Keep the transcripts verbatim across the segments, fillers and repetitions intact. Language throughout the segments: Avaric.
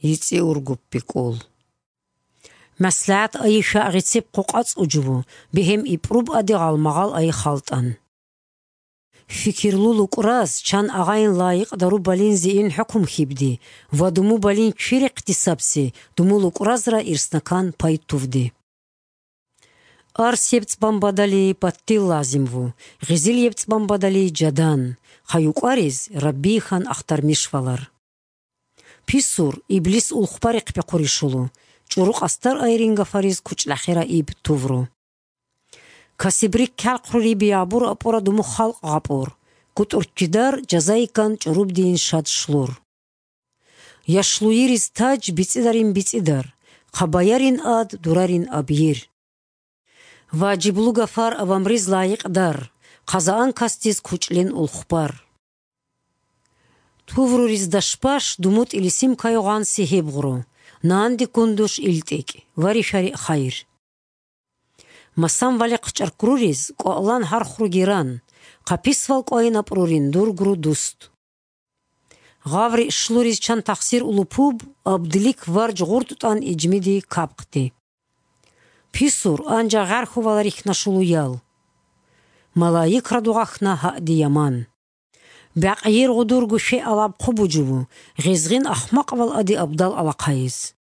йицӀи ургуппи кӀул. МаслигӀат айи шагӀ гъицеб къокъацӀ учӀубу, бегьем ипӀруб аде гъалмагъал айи халтӀан. Фикирлу лукӀраз чан агъайин лайикъ дару балин зиин хӀукму хьибди ва думу балин квирехъ дисабси думу лукӀразра ирснакан пай тувди. Арс ебцӀбан бадали баттил лазим ву, гъизил ебцӀбан бадали жадан, хъаюкъвариз Раббийхан ахтармиш валар. Писур, иблис улхъбарихъ бехъурищулу, чӀуру къасдар айрин гафариз кучӀлахира иб тувру. Касибрик калхърури биябур апӀура думу халкъ гъапӀур, гутӀурккидар жазайиккан чӀурубдиин шад шлур. Яшлуйириз таж бицӀидарин бицӀидар, хъабаярин ад дурарин абйир. Важиблу гафар авамриз лайикъдар, хъазаан касдиз кучӀлин улхъбар. Тувруриз дашбаш думутӀили симкаю гъанси гьебгъру, нанди кундуш илтӀикӀ ва ришари хайр. Масан вали хъчӀаркруриз кӀвалан гьархруги ран, хъаписвал кӀвайин апӀрурин дургру дуст. Гъаври шлуриз чан тахсир улупуб, абдилик варж гъуртӀутӀан ижмиди капхъти. Писур, анжа гъархьувала рихьна шулуял. Малаикра дугъахьна гьаъди яман. Бякъ йир гъудурго шей алаб хъубуджубу, гъезгъин ахмакъвал ади абдал алахъайиз.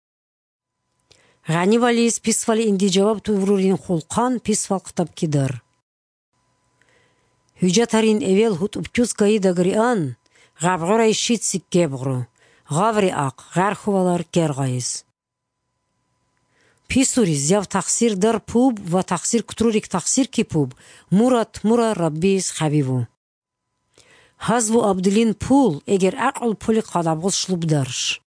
Гъанивализ писвали инди жаваб туврурин хулхъан писвал хътаб кидар. Гьуджатарин эвел гьутӀуб кьуз кайидаг риан, гъабгъурай щицик гебгъру, гъаври ахъ, гъархьувалар кергъайиз. Писуриз яв тахсир дар пуб ва тахсир кутрурик тахсир кипуб, мурат мура Раббиз хабиву. Гьазву абдилин пул, эгер гӀакълу пулихъ гьадаб гъуслъуб дарш.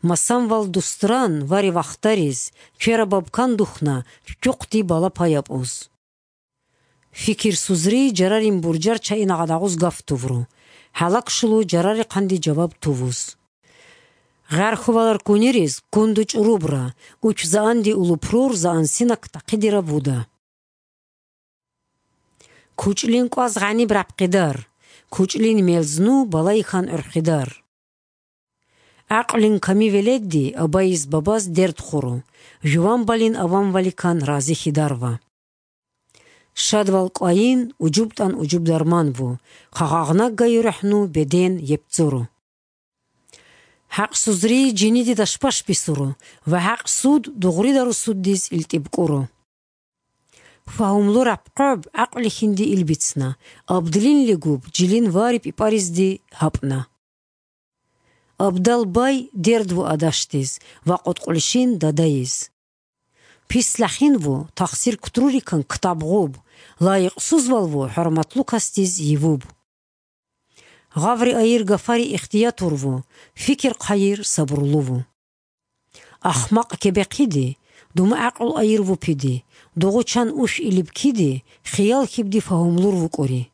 Масанвал дустран ва ревахдариз, кверабаб кан духна, ччухъди балапа япӀуз. Фикир сузри, жарарин буржар чаина гъадагъуз гаф тувру, гьалакшулу жарарихъанди жаваб тувуз. Гъархьувалар кунириз кунду чӀурубра, учзаанди улупрур заансинак тахъидираб вуда. КучӀлин кӀваз гъаниб рапхъидар, кучӀлин мелзну балайхан гӀурхъидар. ГӀакълин ками веледди абайиз бабаз дерд хуру, жуван балин аван валикан разихьидар ва. Шадвал кӀвайин, уджубтӀан уджуб дарман ву, хъагъагънаггай рухӀну беден епцӀуру. ХӀакъсузри жиниди дашбаш бисуру ва хӀакъсуд дугърида русуддиз илтӀибкӀуру. Фагьумлу рапхъоб гӀакълихьинди илбицна, абдилинлигуб жилин вари пипаризди гьапӀна. Абдал бай дерд ву адашдиз ва къотӀкъулищин дадайиз. Пислахин ву тахсир кутрурикан ктаб гъуб, лайикъсузвал ву хӀурматлу касдиз йивуб. Гъаври айир гафари ихтиятур ву, фикир хъайир сабурлу ву. Ахмакъ кебехъиди, дума гӀакълу айир вупиди, дугъучан уш илибкиди, хиял хибди фагьумлур вукӀури.